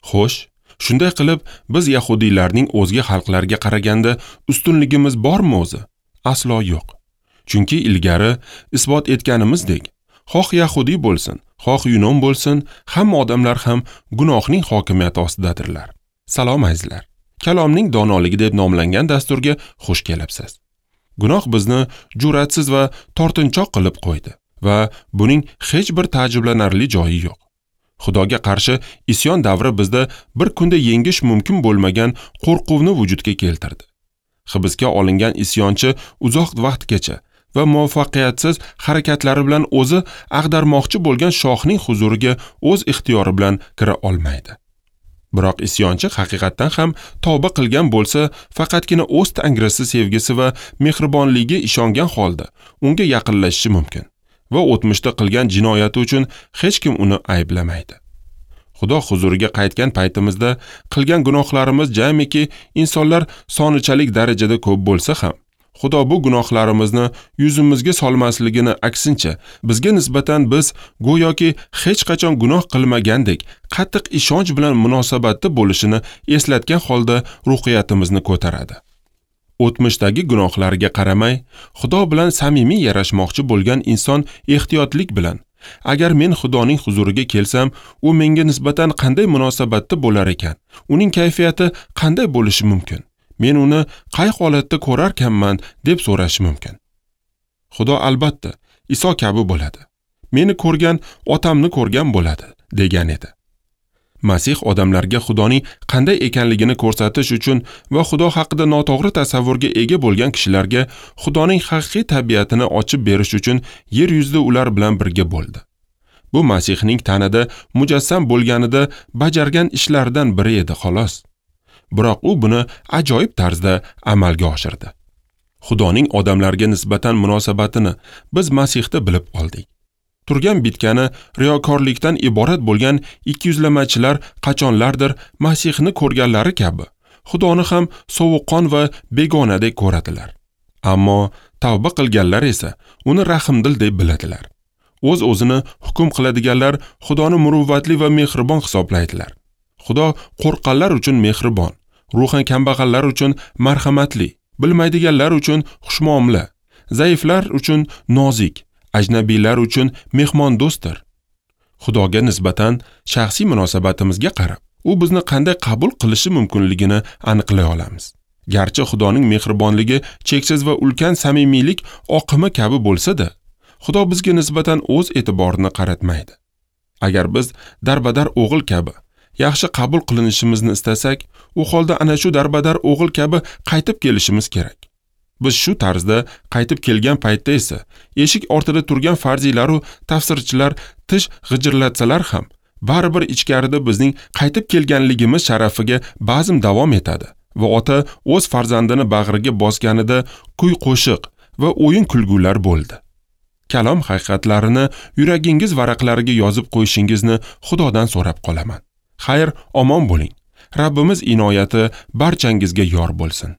Xo'sh, shunday qilib biz yahudiylarning o'zga xalqlarga qaraganda ustunligimiz bormi o'zi? Aslo yo'q. Chunki ilgari isbot etganimizdek, xoh yahudiy bo'lsin, xoh yunon bo'lsin, hamma odamlar ham gunohning hokimiyati ostidadirlar. Salom azizlar. Kalomning donoligi deb nomlangan dasturga xush kelibsiz. Gunoh bizni jur'atsiz va tortinchoq qilib qo'ydi va buning hech bir ta'jiblanarli joyi yo'q. Xudoga qarshi isyon davri bizda bir kunda yengish mumkin bo'lmagan qo'rquvni vujudga keltirdi. Hibsga olingan isyonchi uzoq vaqtgacha va muvaffaqiyatsiz harakatlari bilan o'zi ag'darmoqchi bo'lgan shohning huzuriga o'z ixtiyori bilan kira olmaydi. Biroq isyonchi haqiqatdan ham tavba qilgan bo'lsa, faqatgina o'z tangrisi sevgisi va mehribonligiga ishongan holda unga yaqinlashishi mumkin va o'tmishda qilgan jinoyati uchun hech kim uni ayblamaydi. Xudo huzuriga qaytgan paytimizda qilgan gunohlarimiz jamiki insonlar sonichalik darajada ko'p bo'lsa ham, Xudo bu gunohlarimizni yuzimizga solmasligini, aksincha bizga nisbatan biz go'yoki hech qachon gunoh qilmagandek qattiq ishonch bilan munosabatda bo'lishini eslatgan holda ruhiyatimizni ko'taradi. O'tmishdagi gunohlarga qaramay, Xudo bilan samimiy yarashmoqchi bo'lgan inson ehtiyotlik bilan, agar men Xudoning huzuriga kelsam, u menga nisbatan qanday munosabatda bo'lar ekan? Uning kayfiyati qanday bo'lishi mumkin? Men uni qay holatda ko'rarkanman deb so'rashi mumkin. Xudo albatta Iso kabi bo'ladi. Meni ko'rgan otamni ko'rgan bo'ladi, degan edi. Masih odamlarga Xudoning qanday ekanligini ko'rsatish uchun va Xudo haqida noto'g'ri tasavvurga ega bo'lgan kishilarga Xudoning haqiqiy tabiatini ochib berish uchun yer yuzida ular bilan birga bo'ldi. Bu Masihning tanada mujassam bo'lganida bajargan ishlaridan biri edi, xolos. Biroq u buni ajoyib tarzda amalga oshirdi. Xudoning odamlarga nisbatan munosabatini biz Masihda bilib oldik. Turgan bitgani riyokorlikdan iborat bo'lgan ikkiyuzlamachilar qachonlardir Masihni ko'rganlari kabi Xudoni ham sovuqqon va begonadek ko'radilar. Ammo tavba qilganlar esa uni rahmdil deb biladilar. O'z-o'zini hukm qiladiganlar Xudoni muruvvatli va mehribon hisoblaydilar. Xudo qo'rqqanlar uchun mehribon, ruhan kambag'allar uchun marhamatli, bilmaydiganlar uchun xushmuomala, zaiflar uchun nozik, ajnabiylar uchun mehmondo'stdir. Xudoga nisbatan shaxsiy munosabatimizga qarab, u bizni qanday qabul qilishi mumkinligini aniqlay olamiz. Garchi Xudoning mehribonligi cheksiz va ulkan samimiylik oqimi kabi bo'lsa-da, Xudo bizga nisbatan o'z e'tiborini qaratmaydi. Agar biz darbadar o'g'il kabi yaxshi qabul qilinishimizni istasak, u holda ana shu darbadar o'g'il kabi qaytib kelishimiz kerak. Biz shu tarzda qaytib kelgan paytda esa eshik ortida turgan farziylar va tafsirchilar tish g'ijirlatsalar ham, baribir ichkarida bizning qaytib kelganligimiz sharafiga bazm davom etadi va ota o'z farzandini bag'riga bosganida kuy-qo'shiq va o'yin kulgular bo'ldi. Kalom haqiqatlarini yuragingiz varaqlariga yozib qo'yishingizni Xudodan so'rab qolaman. Xayr, omon bo'ling. Rabbimiz inoyati barchangizga yor bo'lsin.